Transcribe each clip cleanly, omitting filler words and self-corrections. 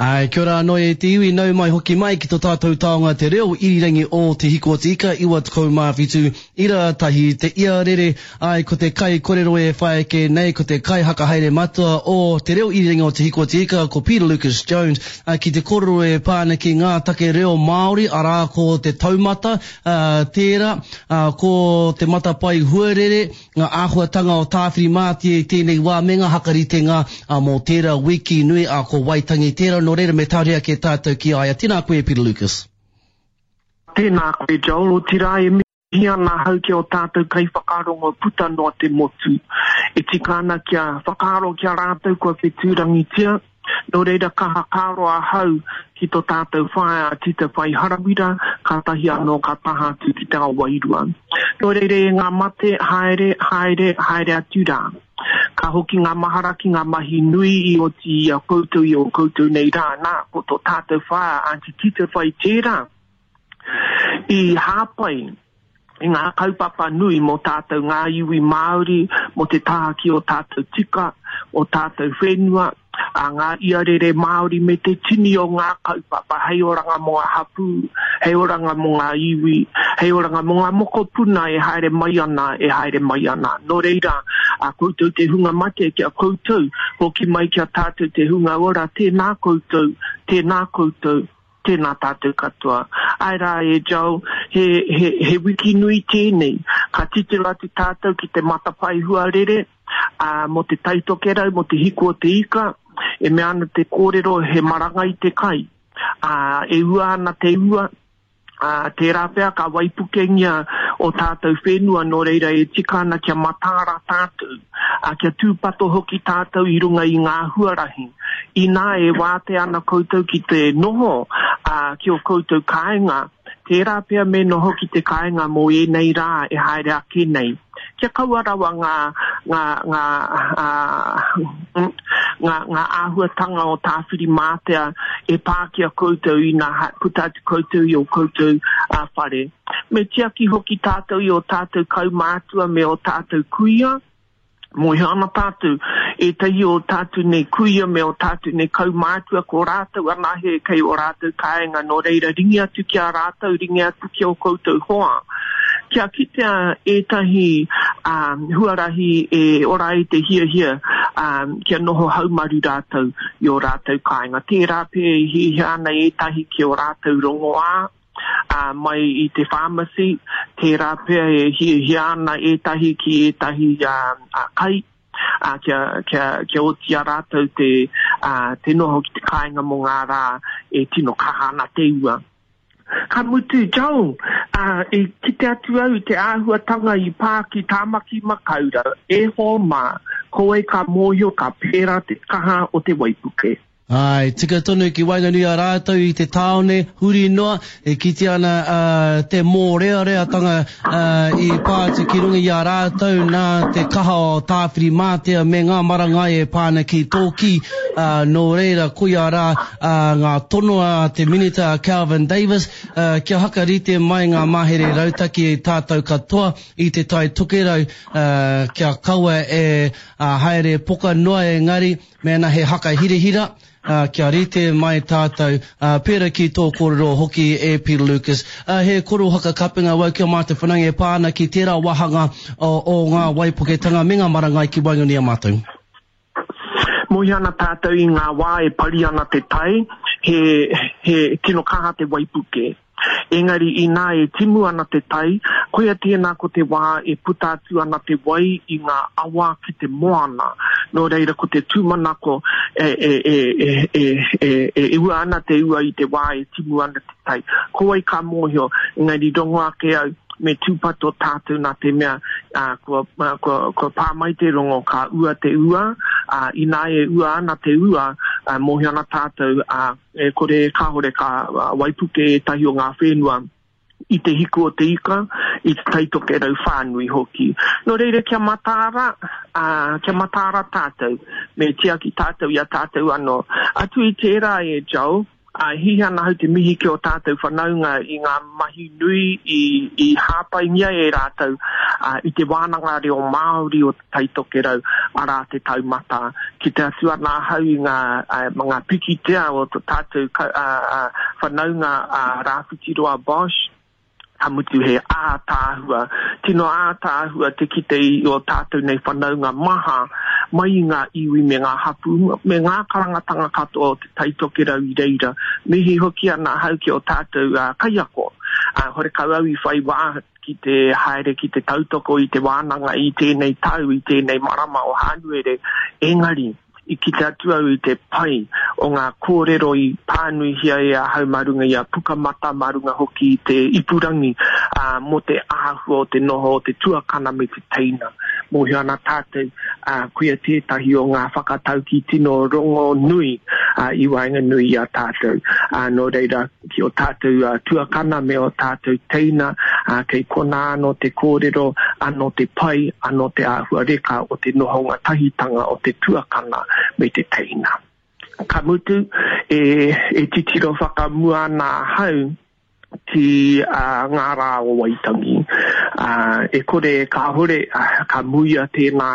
Āe, kia ora anō e te iwi, nau mai hoki mai ki to tātou taonga te reo irirangi o Te Hiko o Te Ika 97 ira tahi te ia rere, āe ko te kai korero e whai ake nei ko te kai hakahaere matua o te reo irirangi o Te Hiko o Te Ika ko Peter Lucas Jones ā, ki te korero e pā ana ki ngā take reo Māori arā ko te taumata ā, tērā, ā, ko te matapae huarere, ngā āhuatanga o Tāwhirimātea i tēnei wā me ngā hakaritenga mō tērā wiki nui, ā, ko Waitangi tērā, nō reira me tahuri ake tātou ki a ia. Tēnā koe e Peter Lucas. Tēnā koe Joel, otirā e mihi ana ahau ki ō tātou kaiwhakarongo puta noa te motu. E tika ana kia whakaaro ki a rātou kua whetūrangitia, Nō reira ka hakaaro ahau ki tō tātou whaea a Tita Whai Harawira, kātahi anō ka taha atu ki te ao wairua. Nō reira e ngā mate, haere, haere, haere atu rā. Ka hoki ngā mahara ki ngā mahi nui i oti i a koutou i ō koutou nei rā, nā, ko tō tātou whaea Aunty Tita Whai tērā i hāpai i ngā kaupapa nui mō tātou ngā iwi Māori, mō te taha ki ō tātou tika, ō tātou whenua, a ngā iarere Māori me te tini o ngā kaupapa hei oranga mō ngā hapū, hei oranga mō ngā iwi, hei oranga mō ngā mokopuna e haere mai ana, e haere mai ana. Nō reira, a koutou te hunga mate, ki a koutou, hoki mai ki a tātou te hunga ora, tēnā koutou, tēnā koutou. Tēnā tātou katoa. Āe rā e Joel, he, he, he wiki nui tēnei. Ka titiro atu tātou ki te matapae huarere, ā, mō te Tai Tokerau, mō te hiku o te ika, e mea ana te kōrero he marangai te kai. Ā, e ua ana te ua, ā, tērā pea ka waipukengia ō tātou whenua, nō reira e tika ana kia mataara tātou, ā, kia tūpato hoki tātou i runga i ngā huarahi. Inā e wātea ana koutou ki te noho ki ō koutou kāinga, tērā pea me noho ki te kāinga mō ēnei rā e haere ake nei. Kia kaua rawa ngā, ngā, ngā, ngā, ngā āhuatanga o Tāwhirimātea e pā ki a koutou ina puta atu koutou i ō koutou whare. Me tiaki hoki tātou i ō tātou kaumātua me ō tātou kuia. Mōhio ana tātou, ētahi o tātou nei kuia me ō tātou nei kaumātua, ko rātou anahe kei ō rātou kāinga, nō reira ringi atu ki a rātou, ringi atu ki ō koutou hoa. Kia kitea ētahi huarahi e ora ai te hiahia kia noho haumaru rātou i ō rātou kāinga. Tērā pea e hiahia ana ētahi ki ō rātou rongoā, ā, mai i te pharmacy, tērā pea e hiahia ana ētahi ki ētahi kai, ā, kia, kia, kia oti i a rātou te, ā, te noho ki te kāinga mō ngā rā e tino kaha ana te ua. Ka mutu, Joel, ā, i kite atu au i te āhuatanga i pā ki Tāmaki Makaurau, e hoa mā, ko wai ka mōhio ka pērā te kaha o te waipuke. Āe, tika tonu ki waenganui a rātou i te tāone, huri noa, e kitea ana te mōreareatanga i pā atu ki runga i a rātou nā te kaha o Tāwhirimātea me ngā marangai e pā ana ki tō kī, nō reira koia rā ngā tono a te Minita a Kelvin Davis kia hakarite mai ngā mahere rautaki tātou katoa i Te Tai Tokerau kia kaua e haere poka noa engari Mēnā he haka hirahira, kia rite mai tātou, pērā ki tō kōrero hoki e Peter Lucas. He koro haka kapenga wau ki a mātou whanaunga e pā ana ki tērā wāhanga o ngā waipuketanga me ngā marangai ki waenganui i a mātou. Mōhio ana tātou i ngā wā e pari ana te tai, he, he tino kaha te waipuke. Engari inā e timu ana te tai, koia tēnā ko te wā e puta atu ana te wai i ngā awa ki te moana. Nō reira ko te tūmanako e, e, e, e, e, e, e ua ana te ua i te wā e timu ana te tai. Ko wai ka mōhio, engari rongo ake au, me tūpato tātou nā te mea ā, kua, kua, kua pā mai te rongo ka ua te ua, ā, inā e ua ana te ua, ā, mōhio ana tātou, ā, E kore, kāore ka waipuke ētahi o ngā whenua i te hiku o te ika, i te Tai Tokerau whānui hoki. Nō reira, kia mataara, ā, kia mataara tātou, me tiaki tātou i a tātou anō. Atu i tērā e Joel, Ā, e hiahia ana ahau te mihi ki ō tātou whanaunga i ngā mahi nui i, i hāpaingia e rātou, ā, i te wānanga reo Māori o Te Tai Tokerau, arā, Te Taumata. Kite atu ana ahau i ngā, ā, ngā pikitia o tō tātou ka, ā, ā, whanaunga a Rāwhitiroa Bosch, Ka mutu he ātaahua, tino ātaahua te kite i ō tātou nei whanaunga maha mai i ngā iwi me ngā hapū, me ngā karangatanga katoa o Te Tai Tokerau i reira. Mihi hoki ana ahau ki ō tātou kaiako. Horekau au i whai wā ki te haere ki te tautoko i te wānanga i tēnei tau, i tēnei marama o Hānuere, engari, I kite atu au i te pai o ngā kōrero i pānuihia e ahau mā runga i a Pukamata, mā runga hoki i te ipurangi, ā, mō te āhua o te noho o te tuakana me te teina. Mōhio ana tātou, ā, koia tētahi o ngā whakataukī tino rongonui, ā, i waenganui i a tātou. Ā, nō reira, ki ō tātou tuakana me ō tātou teina, ā, kei konā anō te kōrero, anō te pai, anō te āhua reka o te nohonga tahitanga o te tuakana me te teina. Ka mutu, e, e titiro whakamua ana ahau ki ngā rā o Waitangi. Ā, e kore e kāhore, ka muia tēnā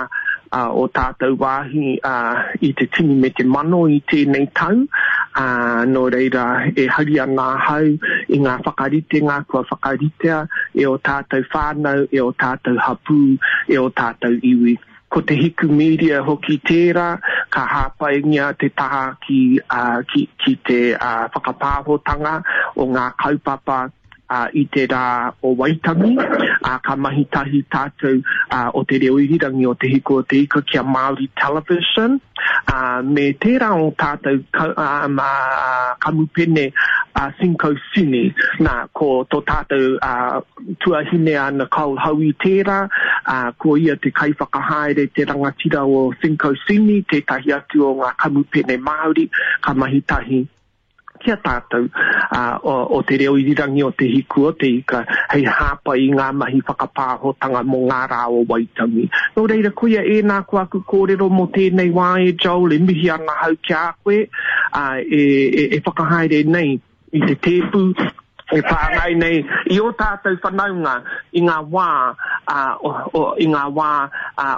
o tātou wāhi i te tini me te mano i tēnei tau, ā, nō reira e hari ana ahau i ngā whakaritenga kua whakaritea e ō tātou whānau, e ō tātou hapū, e ō tātou iwi. Ko Te Hiku Media hoki tērā, ka hāpaingia te taha ki, ki, ki te whakapāhotanga o ngā kaupapa, i te rā o Waitangi, ā, ka mahi tahi tātou o Te Reo Irirangi o Te Hiku o Te Ika ki a Māori Television, ā, me tērā o tātou kamupene a Cinco Cine. Nā, ko tō tātou tuahine a Nicole Howie tērā, ā, ko ia te kaiwhakahaere, te rangatira o Cinco Cine, tētahi atu o ngā kamupene Māori, ka mahi tahi ki a tātou o te reo irirangi o Te Hiku o Te Ika hei hāpai i ngā mahi whakapāhotanga mō ngā rā o Waitangi. Nō reira, koia ēnā ko aku kōrero mō tēnei wā e Joel, e mihi ana ahau ki a koe, e, e, e whakahaere nei i te tēpu, e whāngai nei i ō tātou whanaunga i ngā wā, o, o, i ngā wā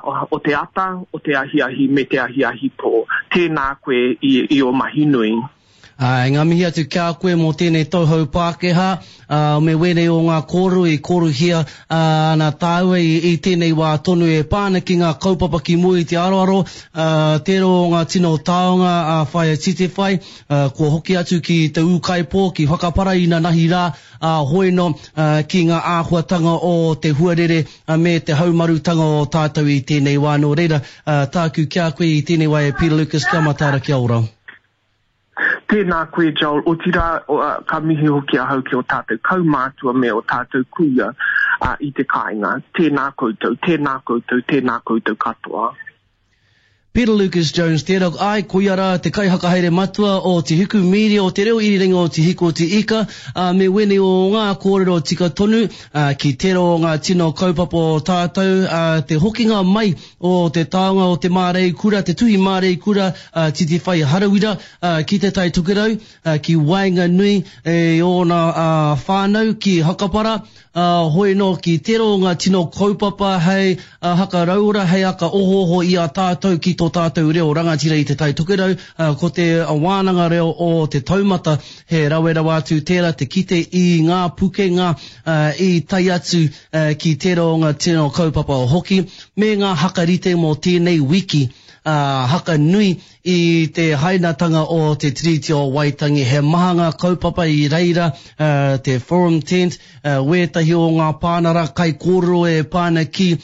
o, o te ata, o te ahiahi me te ahiahi pō. Tēnā koe i, i ō mahi nui. Āe, ngā mihi atu ki a koe mō tēnei tauhou Pākehā, ā, me wēnei o ngā kōrero i kōrohia ana tāua i, i tēnei wā tonu e pā ana ki ngā kaupapa ki mua i te aroaro, ā, tērā o ngā tino taonga a Whaea Titewhai, ā, kua hoki atu ki te ūkaipō, ki Whakapara inanahi rā, ā, hoino, ā, ki ngā āhuatanga o te huarere me te haumarutanga o tātou i tēnei wā. Nō reira, ā, tāku ki a koe i tēnei wā e Peter Lucas, kia mataara, kia ora. Tēnā koe Joel, otirā ka mihi hoki ahau ki ō tātou kaumātua me ō tātou kuia i te kāinga. Tēnā koutou, tēnā koutou, tēnā koutou katoa. Peter Lucas Jones tērā, āe, koia rā te kaihakahaere matua o Te Hiku Media, o Te Reo Irirangi o Te Hiku o Te Ika, ā, me wēnei o ngā kōrero tika tonu, ā, ki tērā o ngā tino kaupapa o tātou, ā, te hokinga mai o te taonga o te māreikura, te tuhi māreikura a Titiwhai Harawira ki Te Tai Tokerau, ki waenganui i ōna whānau ki Hakapara, hoi nō ki tērā o ngā tino kaupapa hei hakarauora, hei aka ohooho i a tātou ki tō tātou reo rangatira i Te Tai Tokerau, ko te wānanga reo o Te Taumata, he rawe rawa atu tērā te kite i ngā pukenga i tae atu ki tērā o ngā tino kaupapa hoki, me ngā haka rite mō tēnei wiki, ā, haka nui i te hainatanga o Te Tiriti o Waitangi. He maha ngā kaupapa i reira, te Forum Tent, wētahi o ngā pānara kaikōrero e pā ana ki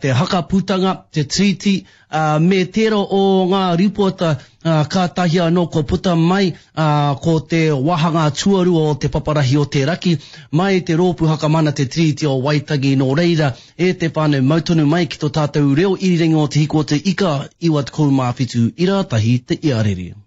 te haka putanga, te Tiriti, ā, me tērā o ngā rīpoata, ā, kātahi anō kua puta mai, ā, ko te wāhanga tuarua o te paparahi o te raki, mai te Rōpū Hakamana Te Tiriti o Waitangi, nō reira, e te whānau, mau tonu mai ki tō tātou reo irirangi o Te Hiko o Te Ika 97 ira tahi te iarere.